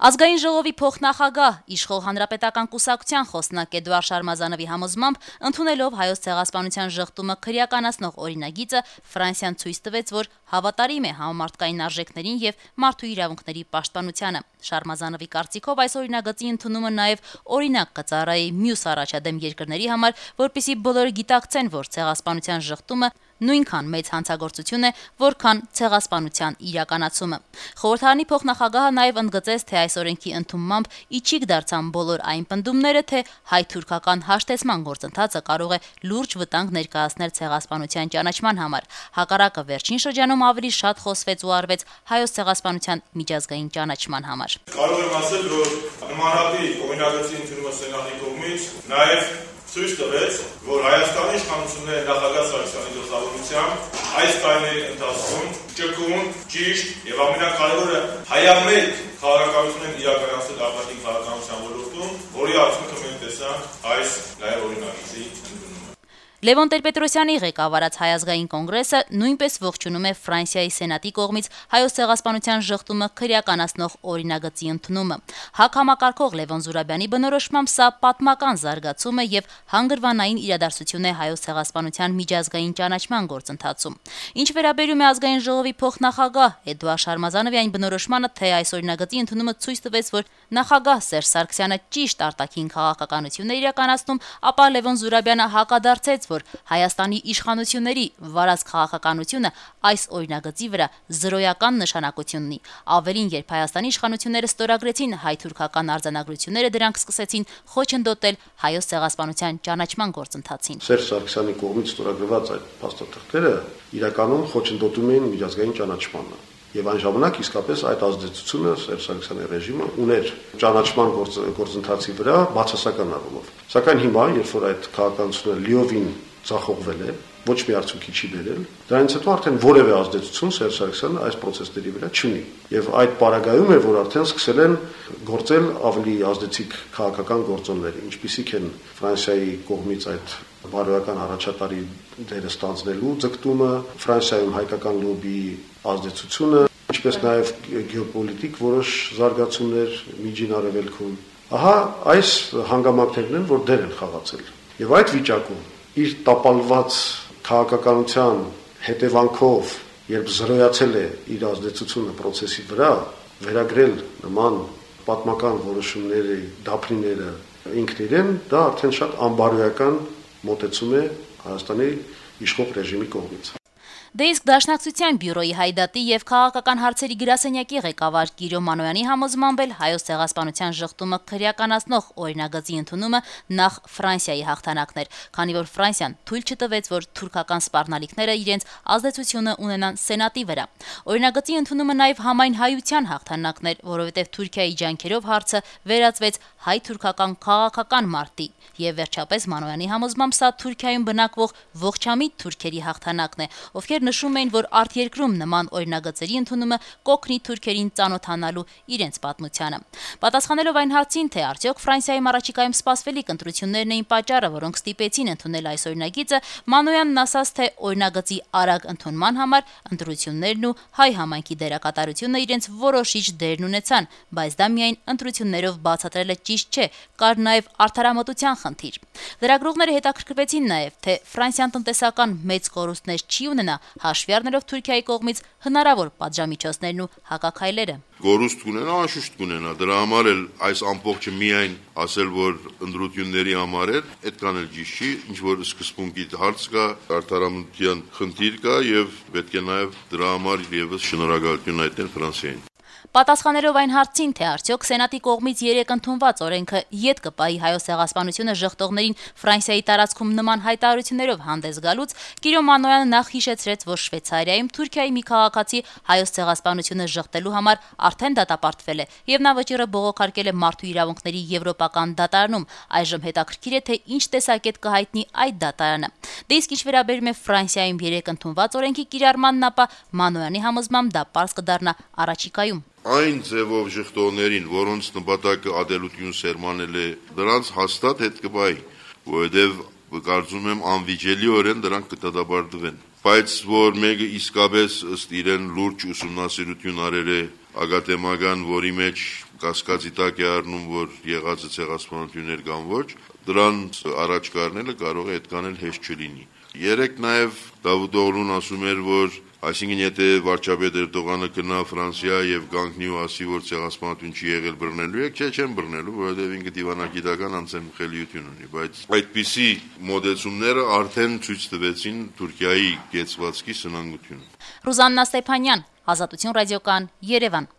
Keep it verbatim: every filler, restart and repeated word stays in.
Ազգային ժողովի փոխնախագահ իշխող հանրապետական կուսակցության խոսնակ Էդուարդ Շարմազանովի համոզմամբ, ընդունելով հայոց ցեղասպանության ժխտումը քրեականացնող օրինագիծը, Ֆրանսիան ցույց տվեց, որ հավատարիմ է համամարտկային արժեքներին եւ մարդու իրավունքների պաշտպանությանը։ Շարմազանովի կարծիքով այս օրինագծի ընդունումը նաեւ օրինակ կծառայի մյուս առաջադեմ երկրների համար, որպեսզի բոլորը գիտակցեն, որ ցեղասպանության ժխտումը նույնքան մեծ հանցագործություն է, որքան ցեղասպանության իրականացումը։ Խորհրդարանի փոխնախագահը նաև ընդգծեց, թե այս օրենքի ընդունմամբ իջիկ դարձան բոլոր այն պնդումները, թե հայ-թուրքական հաշտեցման գործընթացը կարող է լուրջ վտանգ ներկայացնել ցեղասպանության ճանաչման համար։ Հակառակը վերջին շրջանում ավելի շատ խոսվեց ու արվեց հայոց ցեղասպանության միջազգային ճանաչման համար։ Կարող եմ ասել, որ նմանատիպ օրինագծի ընդունումը Սենատի կողմից նաև ցույց տվեց, որ Հայաստանի իշխանությունները նախագահ Սարգսյանի գլխավորությամբ այս տարիների ընթացքում ճկուն, ճիշտ եւ ամենակարևորը հայամետ քաղաքականություն են իրականացրել արտաքին քաղաքականության ոլորտում, որի արդյունքը մենք տեսանք այս նաև օրինագծի ընդունումը։ Լևոն Տեր-Պետրոսյանի ղեկավարած Հայ ազգային կոնգրեսը նույնպես ողջունում է Ֆրանսիայի Սենատի կողմից հայոց ցեղասպանության ժխտումը քրեականացնող օրինագծի ընդունումը։ ՀԱԿ համակարգող Լևոն Զուրաբյանի բնորոշմամբ սա պատմական զարգացում է եւ հանգրվանային իրադարձություն է հայոց ցեղասպանության միջազգային ճանաչման գործընթացում։ Ինչ վերաբերում է ազգային ժողովի փոխնախագահ Էդուարդ Շարմազանովի այն բնորոշմանը, թե այս օրինագծի ընդունումը ցույց տվեց, որ նախագահ Սերժ Սարգսյանը ճիշտ արտաքին քաղաքականություն է իրականացնում, ապա Լևոն Զուրաբյանը հակադարձեց, որ Հայաստանի իշխանությունների վարած քաղաքականությունը այս օրինագծի վրա զրոյական նշանակություն ունի։ Ավելին, երբ Հայաստանի իշխանությունները ստորագրեցին հայ-թուրքական արձանագրությունները, դրանք սկսեցին խոչընդոտել հայոց ցեղասպանության ճանաչման գործընթացին։ Սերժ Սարգսյանի կողմից ստորագրված այդ փաստաթղթերը իրականում խոչընդոտում էին միջազգային ճանաչմանը։ Եվ այն ժամանակ իսկապես այդ ազդեցությունը Սերժ Սարգսյանի ռեժիմը ուներ ճանաչման գործընթացի վրա բացասական առումով։ Սակայն հիմա, երբ որ այդ քաղաքականությունը լիովին ձախողվել է, ոչ մի արդյունքի չի բերել, դրանից հետո արդեն որևէ ազդեցություն Սերժ Սարգսյանը այս process-ների վրա չունի։ Եվ այդ պարագայում է, որ արդեն սկսել են գործել ավելի ազդեցիկ քաղաքական գործոններ, ինչպիսիք են Ֆրանսիայի կողմից այդ բարոյական առաջատարի դերը ստանձնելու ձգտումը, Ֆրանսիայում հայկական լոբիի ազդեցությունը, ինչպես նաև գեոպոլիտիկ որոշ զարգացումներ Միջին Արևելքում։ Ահա այս հանգամանքներն են, որ դեր են խաղացել։ Եվ այդ վիճակում իր տապալված քաղաքականության հետևանքով, երբ զրոյացել է իր ազդեցությունը process-ի վրա, վերագրել նման պատմական որոշումների դափնիները ինքն իրեն, դա արդեն շատ անբարոյական մոտեցում է Հայաստանի իշխող ռեժիմի կողմից։ Դե իսկ Դաշնակցության բյուրոյի հայդատի եւ քաղաքական հարցերի գրասենյակի ղեկավար Կիրո Մանոյանի համոզմամբ էլ հայոց ցեղասպանության ժխտումը քրեականացնող օրինագծի ընդունումը նախ Ֆրանսիայի հաղթանակն էր, քանի որ Ֆրանսիան թույլ չտվեց, որ թուրքական սպառնալիքները իրենց ազդեցությունը ունենան Սենատի վրա։ Օրինագծի ընդունումը նաեւ համայն հայության հաղթանակն էր, որովհետեւ Թուրքիայի ջանքերով հարցը վերածվեց հայ-թուրքական քաղաքական մարտի։ Եվ վերջապես Մանոյանի համոզմամբ սա Թուրքիայում բնակվող ողջամիտ թուրքերի հաղթանակն է, ովքեր նշում էին, որ արտերկրում նման օրինագծերի ընդունումը կօգնի թուրքերին ծանոթանալու իրենց պատմությանը։ Պատասխանելով այն հարցին, թե արդյոք Ֆրանսիայում առաջիկայում սպասվելիք ընտրություններն էին պատճառը, որոնք ստիպեցին ընդունել այս օրինագիծը, Մանոյանն ասաց, թե օրինագծի արագ ընդունման համար ընտրություններն ու հայ համայնքի դերակատարությունը իրենց որոշիչ դերն ունեցան, բայց դա միայն ընտրություններով բացատրելը ճիշտ չէ, կար նաև արդարամտության խնդիր։ Լրագրողները հետաքրքրվեցին նաև, թե Ֆրանսիան տնտեսական մեծ կորուստներ չի ունենա, հաշվի առնելով Թուրքիայի կողմից հնարավոր պատժամիջոցներն ու հակաքայլերը։ Գորուստ կունենա, անշուշտ կունենա, դրա համար էլ այս ամբողջը միայն ասել, որ ընդրությունների համար էր, այդքան էլ ճիշտ չի, ինչ որ սկզբունքի հարց կա, արդարամտության խնդիր կա եւ պետք է նաեւ դրա համար եւս շնորհակալություն հայտնել Ֆրանսիային։ Պատասխանելով այն հարցին, թե արդյոք Սենատի կողմից երեք ընդունված օրենքը ետ կպայի հայոց ցեղասպանությունը ժխտողներին Ֆրանսիայի տարածքում նման հայտարարություններով հանդես գալուց, Կիրո Մանոյանը նախ հիշեցրեց, որ Շվեյցարիայում Թուրքիայի մի քաղաքացի հայոց ցեղասպանությունը ժխտելու համար արդեն դատապարտվել է, եւ նա վճիռը բողոքարկել է մարդու իրավունքների եվրոպական դատարանում։ Այժմ հետաքրքիր է, թե ինչ տեսակետ կհայտնի այդ դատարանը։ Դե իսկ ինչ վերաբերում է Ֆրանսիայում երեք ընդունված օրենքի կիրառմանն, ապա Մանոյանի համոզմամբ դա պարզ կդառնա առաջիկայում։ Այն ձևով ժխտողներին, որոնց նպատակը ադելություն սերմանել է, դրանց հաստատ հետ կբայի, որովհետև կարծում եմ անվիճելիորեն դրանք կդատապարտվեն։ Բայց որ մեկը իսկապես ըստ իրեն լուրջ ուսումնասիրություն արել է ագատեմական, որի մեջ կասկածի տակ է առնում, որ եղածը ցեղասպանություններ կամ ոչ, դրան առաջ կառնելը կարող է այդքան էլ հեշտ չլինի։ Երեք նաև Դավութ Օղլուն ասում էր, որ այսինքն եթե վարչապետ Էրդողանը գնա Ֆրանսիա եւ կանգնի ու ասի, որ ցեղասպանություն չի եղել, բռնելու եք, չէ, չեն բռնելու, որովհետեւ ինքը դիվանագիտական անձնախելիություն ունի, բայց այդպիսի մոդեցումները արդեն ցույց տվեցին Թուրքիայի կեցվածքի սնանկությունը։ Ռուզաննա Ստեփանյան, Ազատություն ռադիոկան, Երևան։